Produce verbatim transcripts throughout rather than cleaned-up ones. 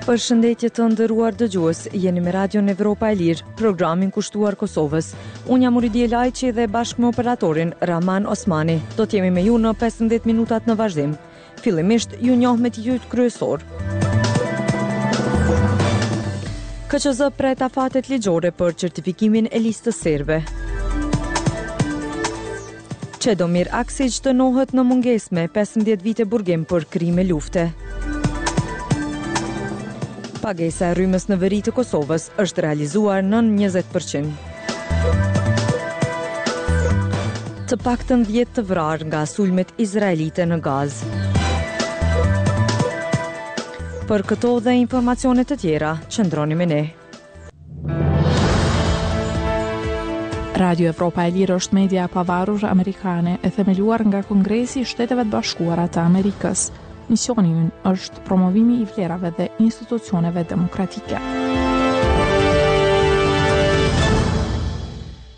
Përshëndetje të nderuar dëgjues, jeni me Radion Evropa e Lirë, programin kushtuar Kosovës. Unë jam Uridije Lajçi dhe bashkë me operatorin Rahman Osmani, do t'jemi me ju në pesëmbëdhjetë minutat në vazhdim. Fillimisht, ju njoh me titujt kryesor. K Q Z pret afatet ligjore për certifikimin e listës serbe. Çedomir Aksiq dënohet në mungesë me pesëmbëdhjetë vite burgim për krime lufte. Pagesa e rrymës në veri të Kosovës është realizuar nën njëzet për qind. Të paktën dhjetë të vrarë nga sulmet izraelite në Gazë. Për këto dhe informacione të tjera, qëndroni me ne. Radio Evropa e Lirë është media e pavarur amerikane e themeluar nga Kongresi i Shteteve të Bashkuara të Amerikës. Misioni ynë është promovimi i vlerave dhe institucioneve demokratike.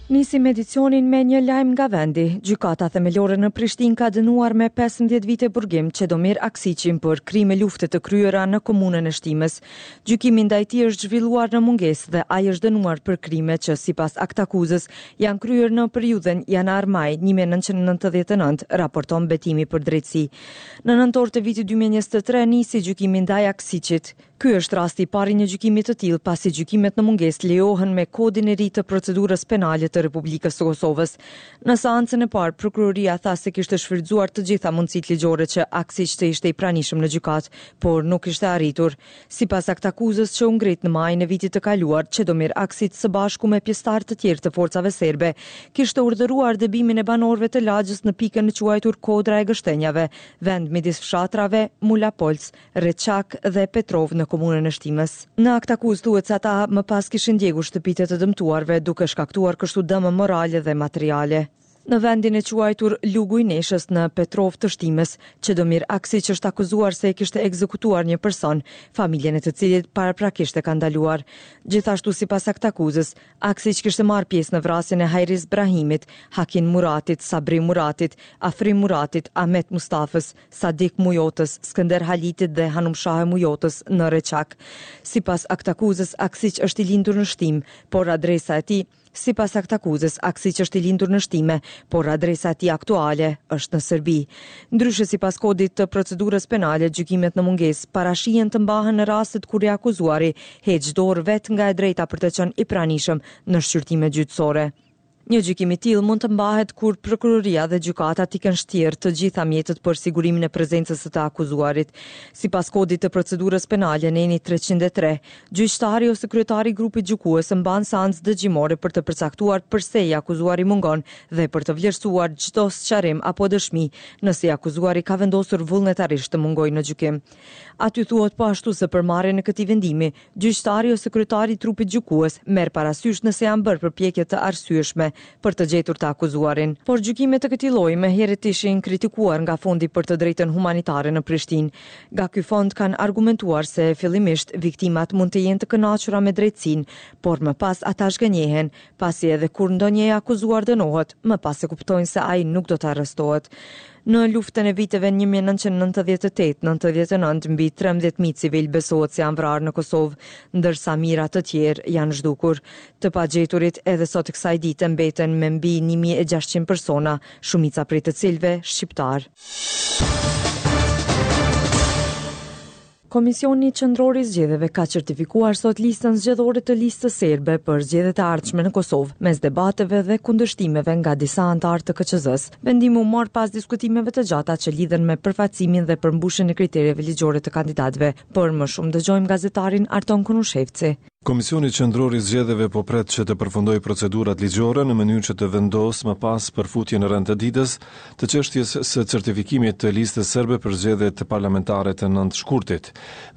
Nisim edicionin me një lajm nga vendi. Gjykata Themelore në Prishtinë ka dënuar me pesëmbëdhjetë vite burgim Çedomir Aksiqin për krime lufte të kryera në komunën e Shtimes. Gjykimi ndaj tij është zhvilluar në mungesë dhe ai është dënuar për krime që sipas aktakuzës janë kryer në periudhën janar-maj një mijë e nëntëqind e nëntëdhjetë e nëntë, raporton Betimi për Drejtësi. Në nëntor të vitit dy mijë e njëzet e tre nisi gjykimi ndaj Aksiqit. Ky është rasti i parë i një gjykimi të tillë, pasi gjykimet në mungesë lejohen me kodin e ri të procedurës penale të Republikës së Kosovës. Në seancën e parë, prokuroria tha se kishte shfrytzuar të gjitha mundësitë ligjore që Aksiq të ishte i pranishëm në gjykatë, por nuk ishte arritur. Sipas aktakuzës që u ngrit në majin e vitit të kaluar, Çedomir Aksiq së bashku me pjesëtarë të tjerë të forcave serbe kishte urdhëruar dëbimin e banorëve të lagjës në pikën e quajtur Kodra e Gështenjave, vend midis fshatrave Mulapolc, Reçak dhe Petrov në komunën e Shtimes. Në aktakuzë thuhet se ata më pas kishin djegur shtëpitë e të dëmtuarve, duke shkaktuar kështu dëme morale dhe materiale. Në vendin e quajtur Lugu i Neshës në Petrov të Shtimes, Çedomir Aksiq është akuzuar se e kishte ekzekutuar një person, familjen e të cilit paraprakisht e ka ndaluar. Gjithashtu sipas aktakuzës, Aksiq kishte marrë pjesë në vrasjen e Hajris Brahimit, Hakin Muratit, Sabri Muratit, Afrim Muratit, Ahmet Mustafës, Sadik Mujotës, Skënder Halitit dhe Hanumshahe Mujotës në Reçak. Sipas aktakuzës, Aksiq është i lindur në Shtim, por adresa e tij Sipas aktakuzës, Aksiq është i lindur në Shtime, por adresa e tij aktuale është në Serbi. Ndryshe, sipas kodit të procedurës penale, gjykimet në mungesë parashihen të mbahen në rastet kur i akuzuari heq dorë vetë nga e drejta për të qenë i pranishëm në shqyrtime gjyqësore. Një gjykim i tillë mund të mbahet kur prokuroria dhe gjykata t'i kenë shtjerë të gjitha mjetet për sigurimin e prezencës së të akuzuarit. Sipas kodit të procedurës penale, neni treqind e tre, gjyqtari ose kryetari i grupit gjykues mban seancë dëgjimore për të përcaktuar përse i akuzuari mungon dhe për të vlerësuar çdo sqarim apo dëshmi nëse i akuzuari ka vendosur vullnetarisht të mungojë në gjykim. Aty thuhet po ashtu se për marrjen e këtij vendimi, gjyqtari ose kryetari i trupit gjykues merr parasysh nëse janë bërë përpjekje të arsyeshme për të gjetur të akuzuarin. Por gjykimet të këtij lloji më herët ishin kritikuar nga Fondi për të Drejtën Humanitare në Prishtinë. Nga ky fond kanë argumentuar se fillimisht viktimat mund të jenë të kënaqura me drejtësinë, por më pas ata zhgënjehen, pasi edhe kur ndonjë i akuzuar dënohet, më pas e kuptojnë se ai nuk do të arrestohet. Në luftën e viteve një mijë e nëntëqind e nëntëdhjetë e tetë nëntëdhjetë e nëntë, mbi trembëdhjetë mijë civil besohet se janë vrarë në Kosovë, ndërsa mijëra të tjerë janë zhdukur. Të pagjeturit edhe sot kësaj dite mbeten me mbi një mijë e gjashtëqind persona, shumica prej të cilëve shqiptar. Komisioni Qendror i Zgjedhjeve ka certifikuar sot listën zgjedhore të listës serbe për zgjedhjet e ardhshme në Kosovë, mes debateve dhe kundërshtimeve nga disa anëtarë të K Q Z-s. Vendimi u mor pas diskutimeve të gjata që lidhen me përfaqësimin dhe përmbushjen e kritereve ligjore të kandidatëve. Por më shumë dëgjojmë gazetarin Arton Konushevci. Komisioni Qendror i Zgjedhjeve po pret që të përfundojë procedurat ligjore në mënyrë që të vendosë më pas për futjen në rend të ditës të çështjes së certifikimit të listës serbe për zgjedhjet parlamentare të nëntë shkurtit.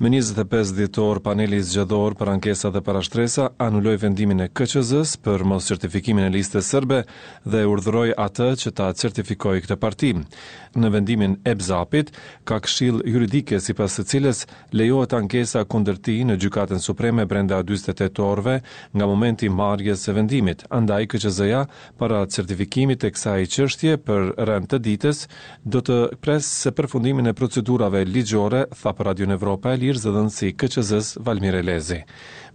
Më njëzet e pesë dhjetor, paneli zgjedhor për ankesa dhe parashtresa anuloi vendimin e K Q Z-s për mos certifikimin e listës serbe dhe urdhëroi atë që ta certifikojë këtë parti. Në vendimin e B Z A P-it ka këshill juridike sipas së cilës lejohet ankesa kundër tij në Gjykatën Supreme brenda dyzet e tetë orëve nga momenti i marrjes së vendimit. Andaj K Q Z-ja para certifikimit të kësaj çështje për rend të ditës do të presë përfundimin e procedurave ligjore, tha për Radion Evropa e Lirë zëdhënësi i K Q Z-s Valmir Elezi.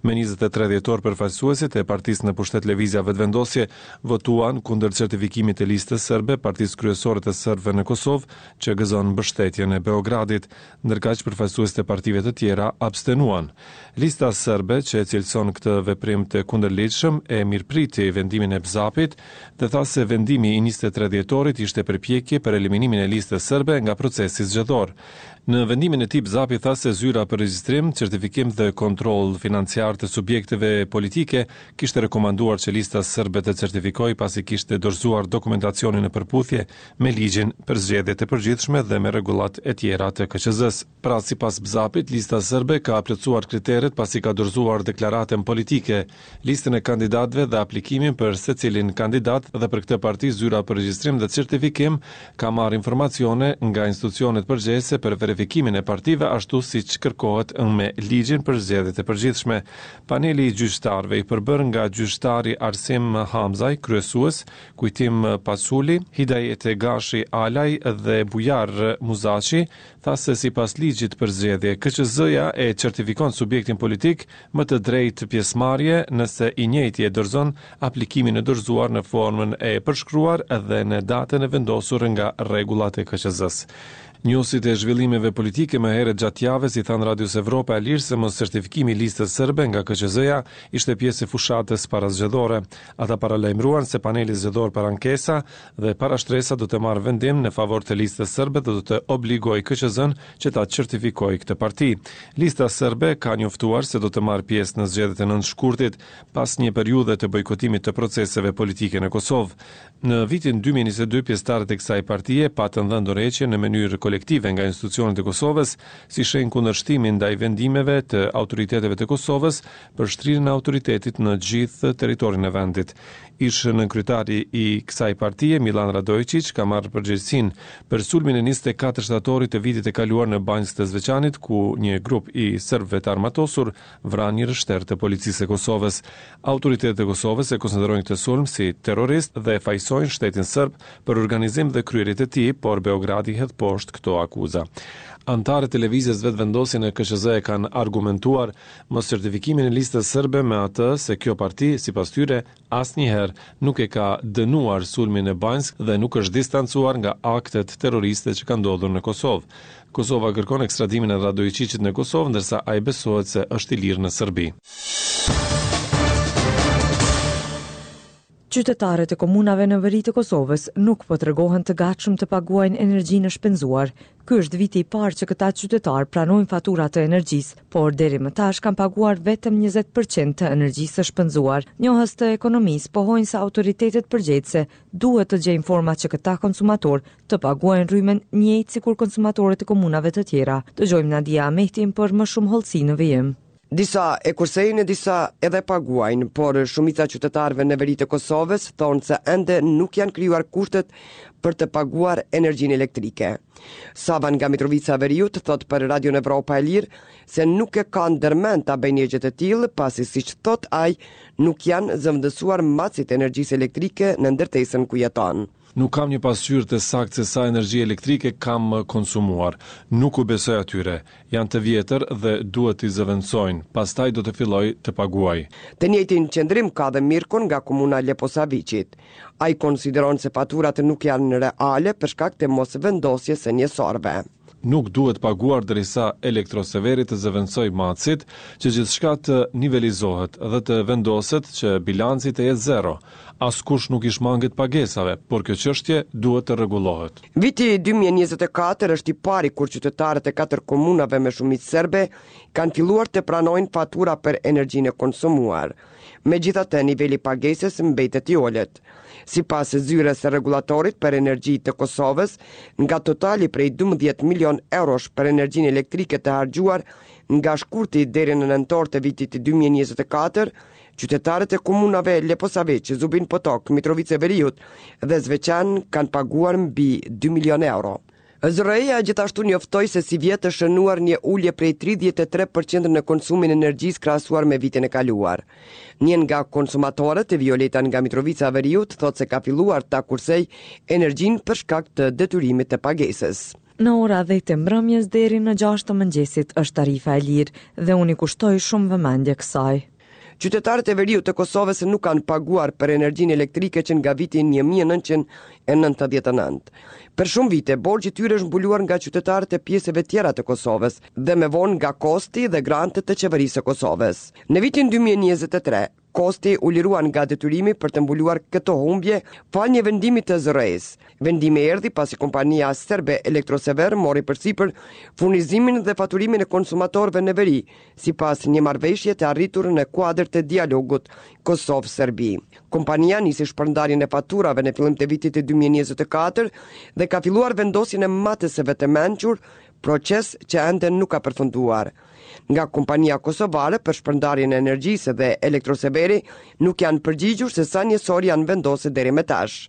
Me njëzet e tre dhjetor përfaqësuesit e partisë në pushtet Lëvizja Vetëvendosje votuan kundër certifikimit të listës serbe, partisë kryesore të serbëve në Kosovë, që gëzon mbështetjen e Beogradit, ndërkaq përfaqësuesit e partive të tjera abstenuan. Lista serbe, që e cilëson këtë veprim të kundërligjshëm, e mirëpriti vendimin e B Z A P-it dhe tha se vendimi i njëzet e tre dhjetorit ishte përpjekje për eliminimin e listës serbe nga procesi zgjedhor. Në vendimin e tij B Z A P-i tha se zyra për regjistrim, certifikim dhe kontroll financiar të subjekteve politike kishte rekomanduar që lista serbe të certifikoj pasi kishte dorëzuar dokumentacionin në përputhje me ligjin për zgjedhjet e përgjithshme dhe me rregullat e tjera të K Q Z-s. Pra, sipas B Z A P-it, lista serbe ka plotësuar kriteret pasi ka dorëzuar deklaratën politike, listën e kandidatëve dhe aplikimin për secilin kandidat dhe për këtë parti zyra për regjistrim dhe certifikim ka marrë informacione nga institucionet përgjegjëse për verifikimin e partive ashtu siç kërkohet me ligjin për zgjedhjet e përgjithshme. Paneli i gjyqtarëve i përbër nga gjyqtari Arsim Hamzaj, kryesues, Kujtim Pasuli, Hidajete Gashi Alaj dhe Bujar Muzaqi, tha se sipas ligjit për zgjedhje, K Q Z-ja e certifikon subjektin politik më të drejtë pjesëmarrje nëse i njëjti e dorëzon aplikimin e dorëzuar në formën e përshkruar dhe në datën e vendosur nga rregullat e K Q Z-s. Njohësit e zhvillimeve politike më herët gjatë javës i thanë Radios Evropa e Lirë se mos certifikimi i listës serbe nga K Q Z-ja ishte pjesë e fushatës parazgjedhore. Ata paralajmëruan se paneli zgjedhor për ankesa dhe parashtresa do të marrë vendim në favor të listës serbe dhe do të obligojë K Q Z-n që ta certifikojë këtë parti. Lista serbe ka njoftuar se do të marrë pjesë në zgjedhjet e nëntë shkurtit pas një periudhe të bojkotimit të proceseve politike në Kosovë. Në vitin dy mijë e njëzet e dy pjesëtarët e kësaj partie patën dhënë dorëheqje në mënyrë kolektive nga institucionet e Kosovës si shenjë kundërshtimi ndaj vendimeve të autoriteteve të Kosovës për shtrirjen e autoritetit në gjithë territorin e vendit. Ish nënkryetari i kësaj partie, Milan Radoičić, ka marrë përgjegjësinë për sulmin e njëzet e katër shtatorit të vitit të kaluar në Banjskë të Zveçanit, ku një grup i serbëve të armatosur vranë një rreshter të policisë së Kosovës. Autoritetet e Kosovës e konsiderojnë këtë sulm si terrorist dhe fajësojnë shtetin serb për organizim dhe kryerje të tij, por Beogradi hedh poshtë këto akuza. Anëtarët e lëvizjes Vetëvendosje në K Q Z e kanë argumentuar mos certifikimin e listës serbe me atë se kjo parti, sipas tyre, asnjëherë nuk e ka dënuar sulmin në Banjsk dhe nuk është distancuar nga aktet terroriste që kanë ndodhur në Kosovë. Kosova kërkon ekstradimin e Radoičićit në Kosovë, ndërsa ai besohet se është i lirë në Serbi. Qytetarët e komunave në veri të Kosovës nuk po tregohen të gatshëm të paguajnë energjinë e shpenzuar. Ky është viti i parë që këta qytetarë pranojnë fatura të energjisë, por deri më tash kanë paguar vetëm njëzet për qind të energjisë së shpenzuar. Njohës të ekonomisë pohojnë se autoritetet përgjegjëse duhet të gjejnë forma që këta konsumator të paguajnë rrymën njëjtë sikur konsumatorët e komunave të tjera. Dëgjojmë Nadia Ahmetin për më shumë hollësi në vijim. Disa e kursejnë, disa edhe paguajnë, por shumica qytetarëve në veri të Kosovës thonë se ende nuk janë krijuar kushtet për të paguar energjinë elektrike. Savan nga Mitrovica Veriut thot për Radion Evropa e Lirë se nuk e ka ndërmend ta bëjë një gjë të tillë, pasi siç thot ai, nuk janë zëvendësuar matësit e energjisë elektrike në ndërtesën ku jeton. Nuk kam një pasqyrë të saktë se sa energji elektrike kam konsumuar. Nuk u besoj atyre. Janë të vjetër dhe duhet t'i zëvendësojnë. Pastaj do të filloj të paguaj. Të njëjtin qëndrim ka dhe Mirkon nga komuna Leposaviqit. Ai konsideron se faturat nuk janë reale për shkak të mos vendosjes së njësorëve. Nuk duhet paguar derisa Elektroseveri të zëvendësoj matësit, që gjithçka të nivelizohet dhe të vendoset që bilanci të jetë zero. Askush nuk i shmanget pagesave, por kjo çështje duhet të rregullohet. Viti dy mijë e njëzet e katër është i pari kur qytetarët e katër komunave me shumicë serbe kanë filluar të pranojnë fatura për energjinë e konsumuar. Megjithatë, niveli i pagesës mbetet i ulët. Sipas zyrës së rregullatorit për energji të Kosovës, nga totali prej dymbëdhjetë milion eurosh për energjinë elektrike të harxhuar nga shkurti deri në nëntor të vitit dy mijë e njëzet e katër, qytetarët e komunave Leposaviq, Zubin Potok, Mitrovicë e Veriut dhe Zveçan kanë paguar mbi dy milion euro. Z R E-ja gjithashtu njoftoi se sivjet është shënuar një ulje prej tridhjetë e tre për qind në konsumin e energjisë krahasuar me vitin e kaluar. Një nga konsumatorët, Violeta nga Mitrovica e Veriut, thotë se ka filluar ta kursej energjinë për shkak të detyrimit të pagesës. Në ora dhjetë të mbrëmjes deri në gjashtë të mëngjesit është tarifa e lirë dhe unë i kushtoj shumë vëmendje kësaj. Qytetarët e veriut të Kosovës nuk kanë paguar për energjinë elektrike që nga viti një mijë e nëntëqind e nëntëdhjetë e nëntë. Për shumë vite, borxhi i tyre është mbuluar nga qytetarët e pjesëve tjera të Kosovës dhe më vonë nga KOSTT-i dhe grantet të qeverisë së Kosovës. Në vitin dy mijë e njëzet e tre, KOSTT-i u lirua nga detyrimi për të mbuluar këto humbje falë një vendimi të Z R E-s. Vendimi erdhi pasi kompania serbe Elektrosever mori përsipër furnizimin dhe faturimin e konsumatorëve në veri, sipas një marrëveshje të arritur në kuadër të dialogut Kosovë-Serbi. Kompania nisi shpërndarjen e faturave në fillim të vitit dy mijë e njëzet e katër dhe ka filluar vendosjen e matëseve të mençur, proces që ende nuk ka përfunduar. Nga kompania kosovare për shpërndarjen e energjisë dhe Elektroseveri nuk janë përgjigjur se sa njësor janë vendosur deri më tash.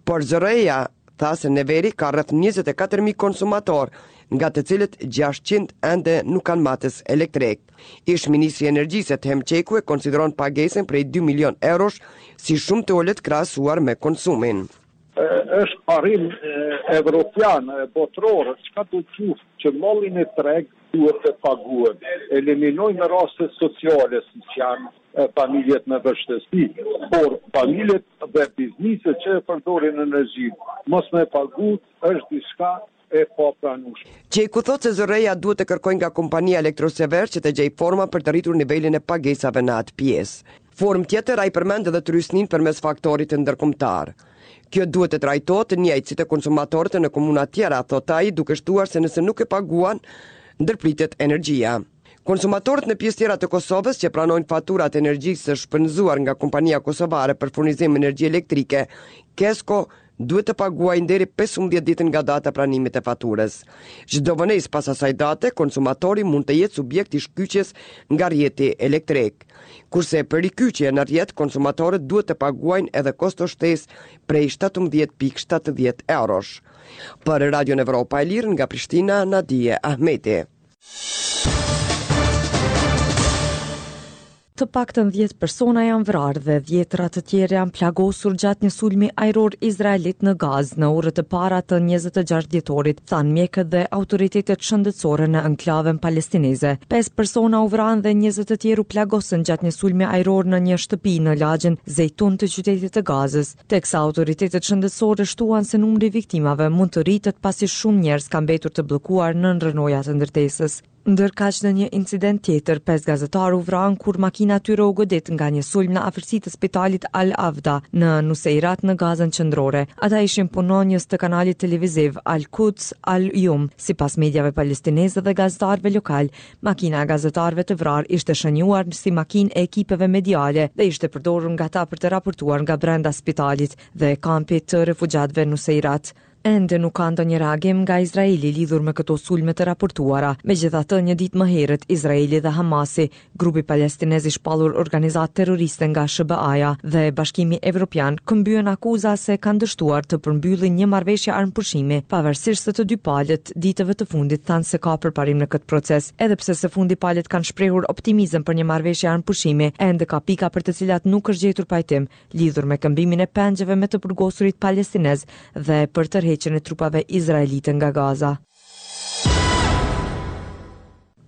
Por Z R E-ja tha se në veri ka rreth njëzet e katër mijë konsumator, nga të cilët gjashtëqind ende nuk kanë matës elektrik. Ish ministri i Energjisë Ethem Çeku e konsideron pagesën prej dy milion eurosh si shumë të ulët krahasuar me konsumin. Është parim evropian, botëror, çka do të thotë që malli në treg duhet të paguhet. Eliminojmë rastet sociale, siç janë familjet me vështirësi, por familjet dhe bizneset që e përdorin energjinë, mos me pagu është diçka e papranueshme. Çeku thotë se Z R E-ja duhet të kërkojë nga kompania Elektrosever që të gjejë forma për të rritur nivelin e pagesave në atë pjesë. Formë tjetër ai përmend edhe trysnin përmes faktorit ndërkombëtar. Kjo duhet të trajtohet njëjtë si të konsumatorët në komuna tjera, thot ai, duke shtuar se nëse nuk e paguan, ndërpritet energjia. Konsumatorët në pjesë tjera të Kosovës që pranojnë faturat e energjisë së shpenzuar nga kompania kosovare për furnizim energji elektrike, KESCO, duhet të paguajnë deri pesëmbëdhjetë ditë nga data pranimit të faturës. Çdo vonesë pas asaj date, konsumatori mund të jetë subjekt i shkyçjes nga rrjeti elektrik. Kurse për rikyçje në rrjet, konsumatorët duhet të paguajnë edhe kosto shtesë prej shtatëmbëdhjetë pikë shtatëdhjetë eurosh. Për Radion Evropa e Lirë nga Prishtina, Nadie Ahmeti. Të paktën dhjetë persona janë vrarë dhe dhjetëra të tjerë janë plagosur gjatë një sulmi ajror izraelit në Gazë në orët e para të njëzet e gjashtë dhjetorit, thanë mjekët dhe autoritetet shëndetësore në enklavën palestineze. Pesë persona u vranë dhe njëzet të tjerë u plagosën gjatë një sulmi ajror në një shtëpi në lagjen Zejtun të qytetit të Gazës, teksa autoritetet shëndetësore shtuan se numri i viktimave mund të rritet pasi shumë njerëz kanë mbetur të bllokuar në rrënojat e ndërtesës. Ndërkaq, në një incident tjetër, pesë gazetarë u vranë kur makina tyre u godit nga një sulm në afërsi të spitalit Al-Avda në Nuseirat në Gazën qendrore. Ata ishin punonjës të kanalit televiziv Al-Quds Al-Yum. Sipas mediave palestineze dhe gazetarëve lokal, makina e gazetarëve të vrarë ishte shënjuar si makinë e ekipeve mediale dhe ishte përdorur nga ta për të raportuar nga brenda spitalit dhe kampit të refugjatëve Nuseirat. Ende nuk ka ndonjë reagim nga Izraeli lidhur me këto sulme të raportuara. Megjithatë, një ditë më herët, Izraeli dhe Hamasi, grupi palestinez i shpallur organizatë terroriste nga S H B A-ja dhe Bashkimi Evropian, këmbyen akuza se kanë dështuar të përmbyllin një marrëveshje armëpushimi, pavarësisht se të dy palët ditëve të fundit thanë se ka përparim në këtë proces. Edhe pse së fundi palët kanë shprehur optimizëm për një marrëveshje armëpushimi, ende ka pika për të cilat nuk është gjetur pajtim lidhur me këmbimin e pengjeve me të burgosurit palestinez dhe për tërheqjen e trupave izraelite nga Gaza.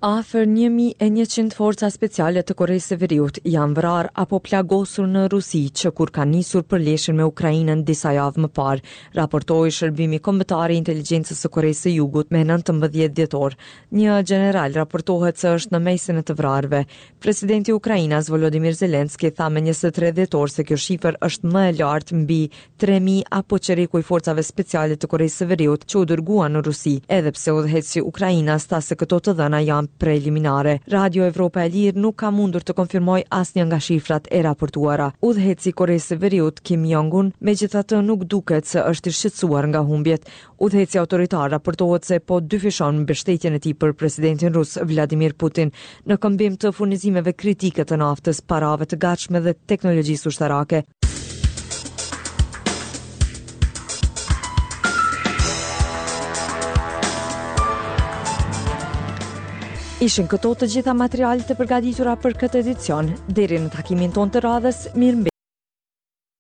Afër një mijë e njëqind forca speciale të Koresë së Veriut janë vrarë apo plagosur në Rusi që kur kanë nisur përleshjen me Ukrainën disa javë më parë, raportoi Shërbimi Kombëtar i Inteligjencës së Koresë së Jugut me nëntëmbëdhjetë dhjetor. Një gjeneral raportohet se është në mesin e të vrarëve. Presidenti ukrainas Volodymyr Zelensky tha me njëzet e tre dhjetor se kjo shifër është më e lartë mbi tre mijë apo çereku i forcave speciale të Koresë së Veriut që u dërguan në Rusi, edhe pse udhëheqësi ukrainas tha se këto të dhëna janë preliminare. Radio Evropa e Lirë nuk ka mundur të konfirmojë asnjë nga shifrat e raportuara. Udhëheqësi i Koresë së Veriut Kim Jong-un megjithatë nuk duket se është i shqetësuar nga humbjet. Udhëheqësi autoritar raportohet se po dyfishon mbështetjen e tij për presidentin rus Vladimir Putin në këmbim të furnizimeve kritike të naftës, parave të gatshme dhe teknologjisë ushtarake. Ishin këto të gjitha materialet e përgatitura për këtë edicion. Deri në takimin tonë të radhës, mirë.